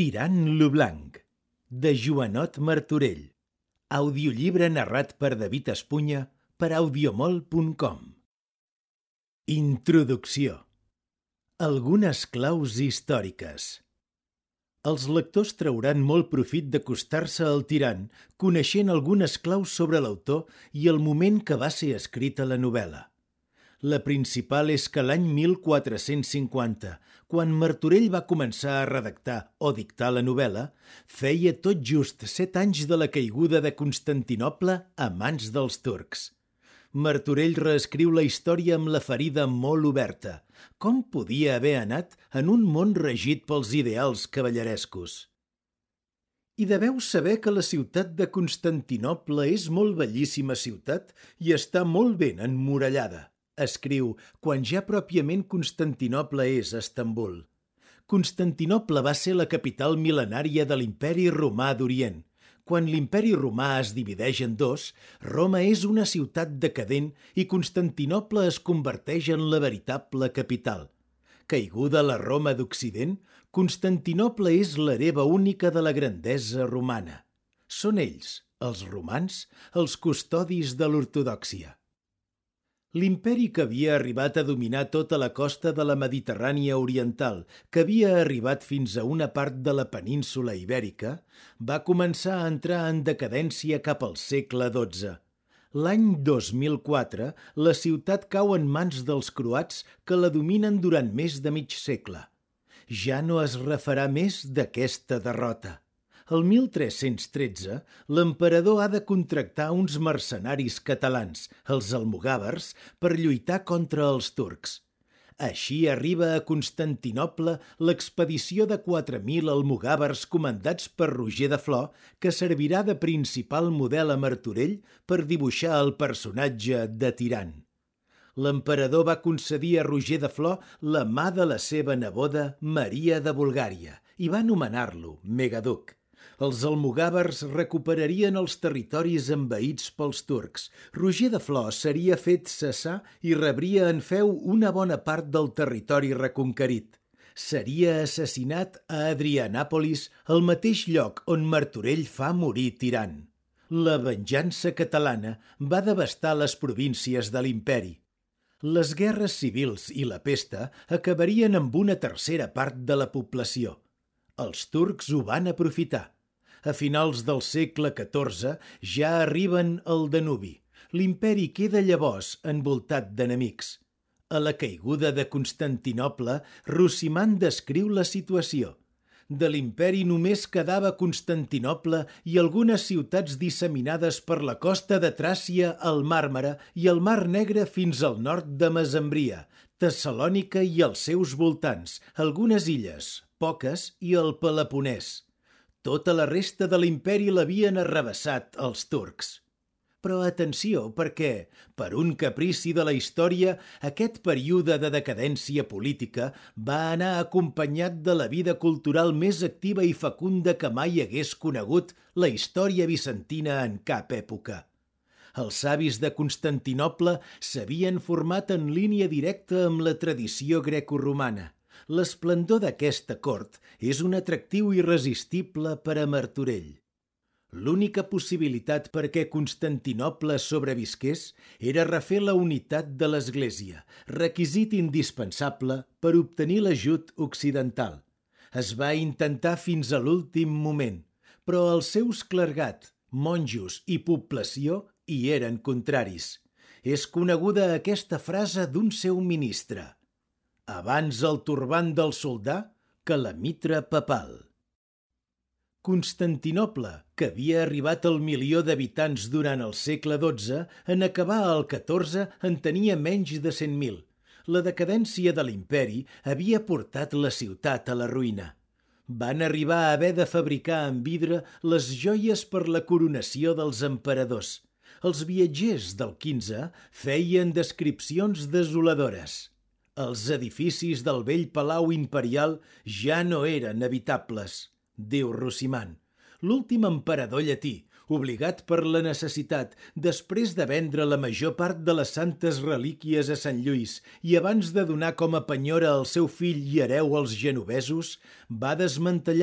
Tirant lo blanc, de Joanot Martorell. Audiollibre narrat per David Espunya per audiomol.com. Introducció. Algunes claus històriques. Els lectors trauran molt profit d'acostar-se al tirant, coneixent algunes claus sobre l'autor i el moment que va ser escrita la novel·la. La principal és que l'any 1450, quan Martorell va començar a redactar o dictar la novel·la, feia tot just 7 anys de la caiguda de Constantinoble a mans dels turcs. Martorell reescriu la història amb la ferida molt oberta. Com podia haver anat en un món regit pels ideals cavallerescos? I deveu saber que la ciutat de Constantinoble és molt bellíssima ciutat i està molt ben emmurallada, escriu, quan ja pròpiament Constantinoble és Estambul. Constantinoble va ser la capital mil·lenària de l'Imperi Romà d'Orient. Quan l'Imperi Romà es divideix en dos, Roma és una ciutat decadent i Constantinoble es converteix en la veritable capital. Caiguda la Roma d'Occident, Constantinoble és l'hereva única de la grandesa romana. Són ells, els romans, els custodis de l'ortodòxia. L'imperi que havia arribat a dominar tota la costa de la Mediterrània oriental, que havia arribat fins a una part de la península ibèrica, va començar a entrar en decadència cap al segle XII. L'any 2004, la ciutat cau en mans dels croats que la dominen durant més de mig segle. Ja no es refarà més d'aquesta derrota. El 1313, l'emperador ha de contractar uns mercenaris catalans, els almogàvers, per lluitar contra els turcs. Així arriba a Constantinoble l'expedició de 4.000 almogàvers comandats per Roger de Flor, que servirà de principal model a Martorell per dibuixar el personatge de tirant. L'emperador va concedir a Roger de Flor la mà de la seva neboda Maria de Bulgària i va nomenar-lo megaduc. Els almogàvers recuperarien els territoris envaïts pels turcs. Roger de Flor seria fet cessar i rebria en feu una bona part del territori reconquerit. Seria assassinat a Adrianàpolis, el mateix lloc on Martorell fa morir tirant. La venjança catalana va devastar les províncies de l'imperi. Les guerres civils i la pesta acabarien amb una tercera part de la població. Els turcs ho van aprofitar. A finals del segle XIV ja arriben al Danubi. L'imperi queda llavors envoltat d'enemics. A la caiguda de Constantinoble, Rossimand descriu la situació. De l'imperi només quedava Constantinoble i algunes ciutats disseminades per la costa de Tràcia al Màrmara i el Mar Negre fins al nord de Mesembria, Tessalònica i els seus voltants, algunes illes, poques, i el Peloponès. Tota la resta de l'imperi l'havien arrabassat els turcs. Però atenció, perquè, per un caprici de la història, aquest període de decadència política va anar acompanyat de la vida cultural més activa i fecunda que mai hagués conegut la història bizantina en cap època. Els savis de Constantinoble s'havien format en línia directa amb la tradició grecoromana. L'esplendor d'aquesta cort és un atractiu irresistible per a Martorell. L'única possibilitat perquè Constantinoble sobrevisqués era refer la unitat de l'Església, requisit indispensable per obtenir l'ajut occidental. Es va intentar fins a l'últim moment, però els seus clergat, monjos i població hi eren contraris. És coneguda aquesta frase d'un seu ministre: abans el turbant del soldà que la mitra papal. Constantinoble, que havia arribat al 1.000.000 d'habitants durant el segle XII, en acabar el XIV en tenia menys de 100.000. La decadència de l'imperi havia portat la ciutat a la ruïna. Van arribar a haver de fabricar en vidre les joies per la coronació dels emperadors. Els viatgers del XV feien descripcions desoladores. Els edificis del vell palau imperial ja no eren habitables, diu Rossimand. L'últim emperador llatí, obligat per la necessitat, després de vendre la major part de les santes relíquies a Sant Lluís i abans de donar com a penyora al seu fill i hereu als genovesos, va desmantellar